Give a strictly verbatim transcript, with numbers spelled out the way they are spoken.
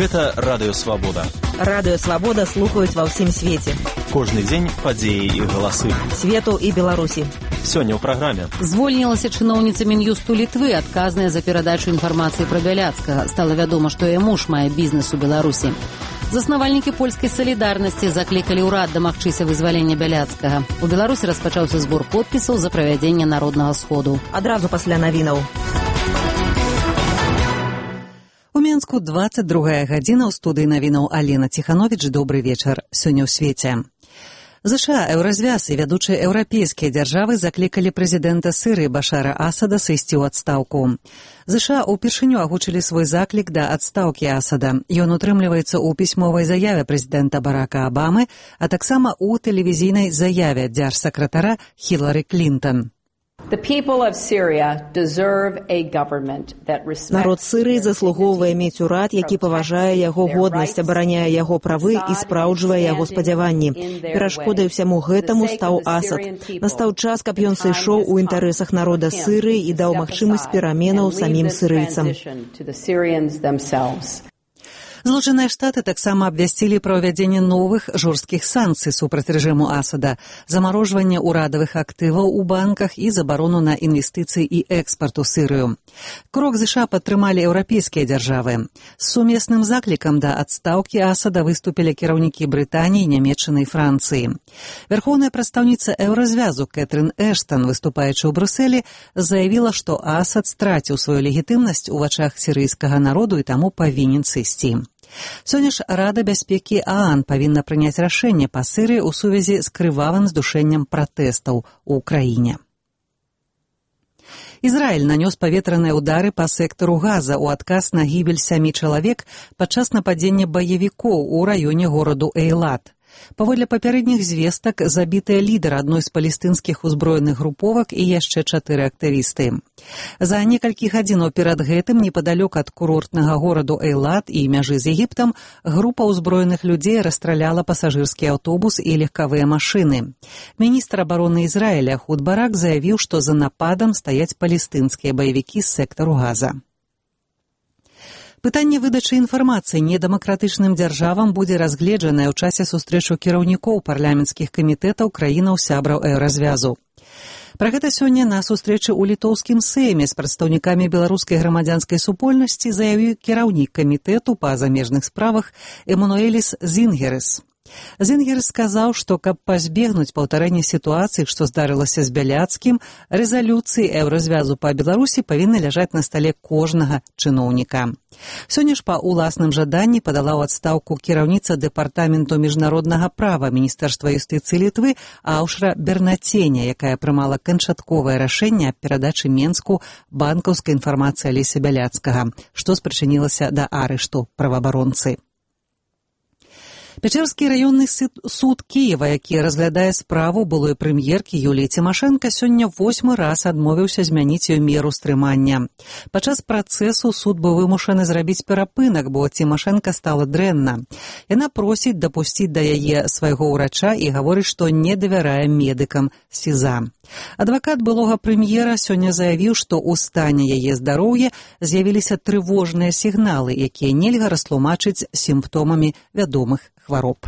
Гэта Радыё Свабода. Радыё Свабода слухаюць ва ўсім свеце. Кожны дзень падзеі і галасы. Свету і Беларусі. Сёння ў праграме. Звольнілася чыноўніца Мін'юсту Літвы, адказная за перадачу інфармацыі пра Бяляцкага. Стала вядома, што яе муж мае бізнес у Беларусі. Заснавальнікі польскай салідарнасці заклікалі ўрад дамагчыся вызвалення Бяляцкага. У Беларусі распачаўся збор подпісаў за правядзенне народнага сходу. Адразу пасля навінаў. У Менску двадцать другая гадзіна, ў студыі навінаў Алена Ціхановіч. Добры вечар. Сёння ў свеце. ЗША, Еўразвяз і вядучыя еўрапейскія дзяржавы заклікалі прэзідэнта Сірыі Башара Асада сысці ў адстаўку. ЗША ўпершыню агучылі свой заклік да адстаўкі Асада. Ён утрымліваецца ў пісьмовай заяве прэзідэнта Барака Абамы, а таксама ў тэлевізійнай заяве дзяржсакратара Хілары Клінтон. Народ Сірыі заслугоўвае мець урад, які паважае яго годнасць, абараняе яго правы і спраўджвае яго спадзяванні. Перашкодай усяму гэтаму стаў Асад. Настаў час, каб ён сышоў у інтарэсах народа Сірыі і даў магчымасць пераменаў самім сірыйцам. Злучаныя Штаты таксама абвясцілі пра ўвядзенне новых жорсткіх санкцый супраць рэжыму Асада, замарожванне ўрадавых актываў у банках і забарону на інвестыцыі і экспарт у Сірыю. Крок ЗША падтрымалі еўрапейскія дзяржавы. З сумесным заклікам да адстаўкі Асада выступілі кіраўнікі Брытаніі, Нямецчыны і Францыі. Вярхоўная прадстаўніца Еўразвязу Кэтрын Эштан, выступаючы ў Брюсселі, заявіла, што Асад страціў сваю легітымнасць у вачах сірыйскага народу і таму павінен сысці. Сёння ж Рада бяспекі ААН павінна прыняць рашэнне па Сірыі ў сувязі з крывавым здушэннем пратэстаў у краіне. Ізраіль нанёс паветраныя ўдары па сектару Газа ў адказ на гібель сямі чалавек падчас нападзення баевікоў у раёне гораду Эйлат. Паводле папярэдніх звестак забітыя лідар адной з палестынскіх узброеных груповак і яшчэ чатыры актывісты. За некалькі гадзінаў перад гэтым непадалёк ад курортнага гораду Эйлат і мяжы з Егіптам група ўзброеных людзей расстраляла пасажырскі аўтобус і легкавыя машыны. Міністр абароны Ізраіля Худ Барак заявіў, што за нападам стаяць палестынскія баевікі з сектару Газа. Пытанне выдачы інфармацыі недэмакратычным дзяржавам будзе разгледжанае ў часе сустрэчу кіраўнікоў парламенцкіх камітэтаў краінаў-сябраў Еўразвязу. Пра гэта сёння на сустрэчы ў літоўскім сейме з прадстаўнікамі беларускай грамадзянскай супольнасці заявіў кіраўнік камітэту па замежных справах Эмануэліс Зінгерес. Зінгерес сказаў, што каб пазбегнуць паўтарэння сітуацыі, што здарылася з Бяляцкім, рэзалюцыі Еўразвязу па Беларусі павінны ляжаць на стале кожнага чыноўніка. Сёння ж па ўласным жаданні падала ў адстаўку кіраўніца дэпартаменту міжнароднага права Міністэрства юстыцыі Літвы Аўшра Бернаценя, якая прымала канчатковае рашэнне аб перадачы Менску банкаўскай інфармацыі Алеся Бяляцкага, што спрычынілася да арышту праваабаронцы. Пячэрскі раённы суд Кіева, які разглядае справу былой прэм'еркі Юліі Цімашэнка, сёння восьмы раз адмовіўся змяніць ёй меру стрымання. Падчас працэсу суд быў вымушаны зрабіць перапынак, бо Цімашэнка стала дрэнна. Яна просіць дапусціць да яе свайго ўрача і гаворыць, што не давярае медыкам СІЗА. Адвакат былога прэм'ера сёння заявіў, што ў стане яе здароўя з'явіліся трывожныя сігналы, якія нельга растлумачыць сімптомамі вядомых хвароб.